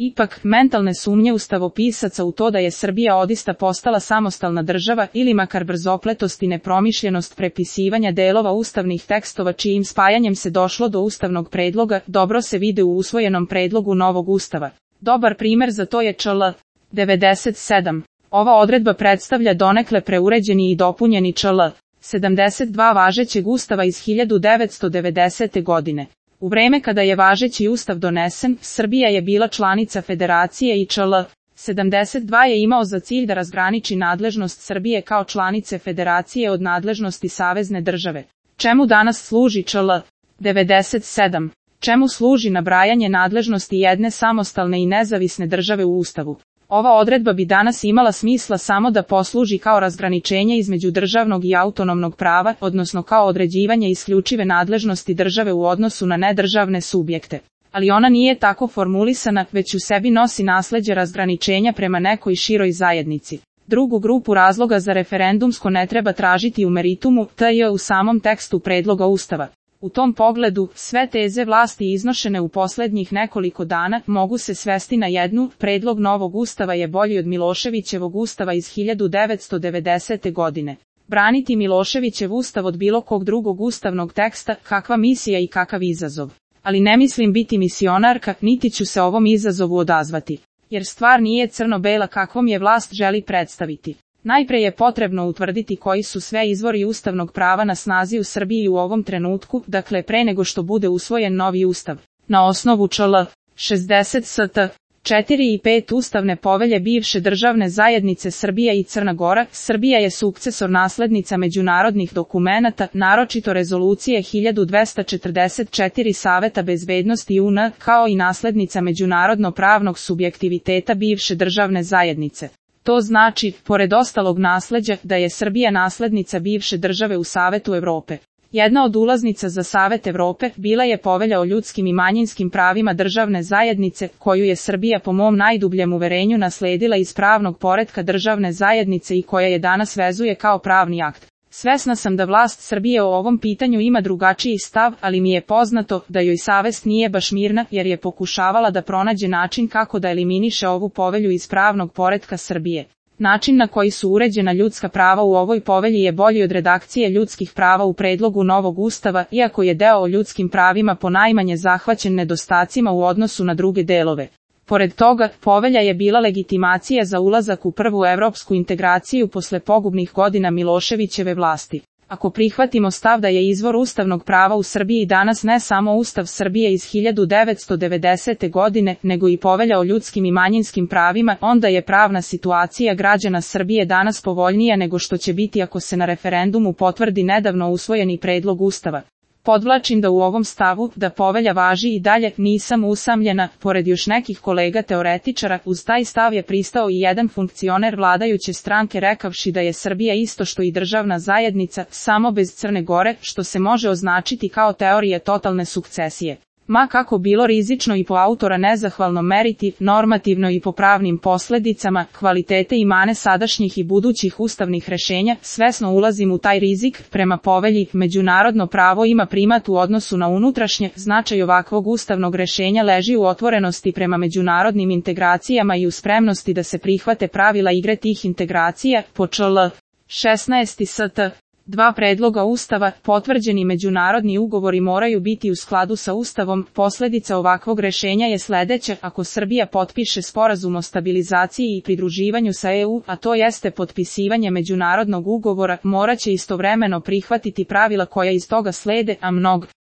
Ipak, mentalne sumnje ustavopisaca u to da je Srbija odista postala samostalna država ili makar brzopletost i nepromišljenost prepisivanja delova ustavnih tekstova čijim spajanjem se došlo do ustavnog predloga, dobro se vide u usvojenom predlogu novog ustava. Dobar primer za to je čl. 97. Ova odredba predstavlja donekle preuređeni i dopunjeni čl. 72 važećeg ustava iz 1990. godine. U vreme kada je važeći ustav donesen, Srbija je bila članica federacije i čl. 72 je imao za cilj da razgraniči nadležnost Srbije kao članice federacije od nadležnosti savezne države. Čemu danas služi čl. 97? Čemu služi nabrajanje nadležnosti jedne samostalne i nezavisne države u Ustavu? Ova odredba bi danas imala smisla samo da posluži kao razgraničenje između državnog i autonomnog prava, odnosno kao određivanje isključive nadležnosti države u odnosu na nedržavne subjekte. Ali ona nije tako formulisana, već u sebi nosi nasleđe razgraničenja prema nekoj široj zajednici. Drugu grupu razloga za referendumsko ne treba tražiti u meritumu, tj. u samom tekstu predloga Ustava. U tom pogledu, sve teze vlasti iznošene u posljednjih nekoliko dana mogu se svesti na jednu: predlog novog ustava je bolji od Miloševićevog ustava iz 1990. godine. Braniti Miloševićev ustav od bilo kog drugog ustavnog teksta, kakva misija i kakav izazov. Ali ne mislim biti misionarka, niti ću se ovom izazovu odazvati. Jer stvar nije crno-bela kakvom je vlast želi predstaviti. Najpre je potrebno utvrditi koji su sve izvori ustavnog prava na snazi u Srbiji u ovom trenutku, dakle pre nego što bude usvojen novi ustav. Na osnovu čl. 60 st. 4 i 5 Ustavne povelje bivše državne zajednice Srbija i Crna Gora, Srbija je sukcesor naslednica međunarodnih dokumenata, naročito rezolucije 1244 Saveta bezbednosti UN, kao i naslednica međunarodno-pravnog subjektiviteta bivše državne zajednice. To znači, pored ostalog nasleđa, da je Srbija naslednica bivše države u Savetu Evrope. Jedna od ulaznica za Savet Evrope bila je Povelja o ljudskim i manjinskim pravima državne zajednice, koju je Srbija po mom najdubljem uverenju nasledila iz pravnog poretka državne zajednice i koja je danas vezuje kao pravni akt. Svesna sam da vlast Srbije o ovom pitanju ima drugačiji stav, ali mi je poznato da joj savest nije baš mirna, jer je pokušavala da pronađe način kako da eliminiše ovu povelju iz pravnog poretka Srbije. Način na koji su uređena ljudska prava u ovoj povelji je bolji od redakcije ljudskih prava u predlogu novog ustava, iako je deo o ljudskim pravima ponajmanje zahvaćen nedostacima u odnosu na druge delove. Pored toga, povelja je bila legitimacija za ulazak u prvu evropsku integraciju posle pogubnih godina Miloševićeve vlasti. Ako prihvatimo stav da je izvor ustavnog prava u Srbiji danas ne samo Ustav Srbije iz 1990. godine, nego i Povelja o ljudskim i manjinskim pravima, onda je pravna situacija građana Srbije danas povoljnija nego što će biti ako se na referendumu potvrdi nedavno usvojeni predlog Ustava. Podvlačim da u ovom stavu, da povelja važi i dalje, nisam usamljena, pored još nekih kolega teoretičara, uz taj stav je pristao i jedan funkcioner vladajuće stranke rekavši da je Srbija isto što i državna zajednica, samo bez Crne Gore, što se može označiti kao teorije totalne sukcesije. Ma kako bilo rizično i po autora nezahvalno meriti, normativno i po pravnim posledicama, kvalitete i mane sadašnjih i budućih ustavnih rešenja, svesno ulazim u taj rizik. Prema povelji, međunarodno pravo ima primat u odnosu na unutrašnje, značaj ovakvog ustavnog rešenja leži u otvorenosti prema međunarodnim integracijama i u spremnosti da se prihvate pravila igre tih integracija, po čl. 16 st. 2 predloga Ustava, potvrđeni međunarodni ugovori moraju biti u skladu sa Ustavom. Posledica ovakvog rešenja je sledeća: ako Srbija potpiše sporazum o stabilizaciji i pridruživanju sa EU, a to jeste potpisivanje međunarodnog ugovora, moraće istovremeno prihvatiti pravila koja iz toga slede, a mnogo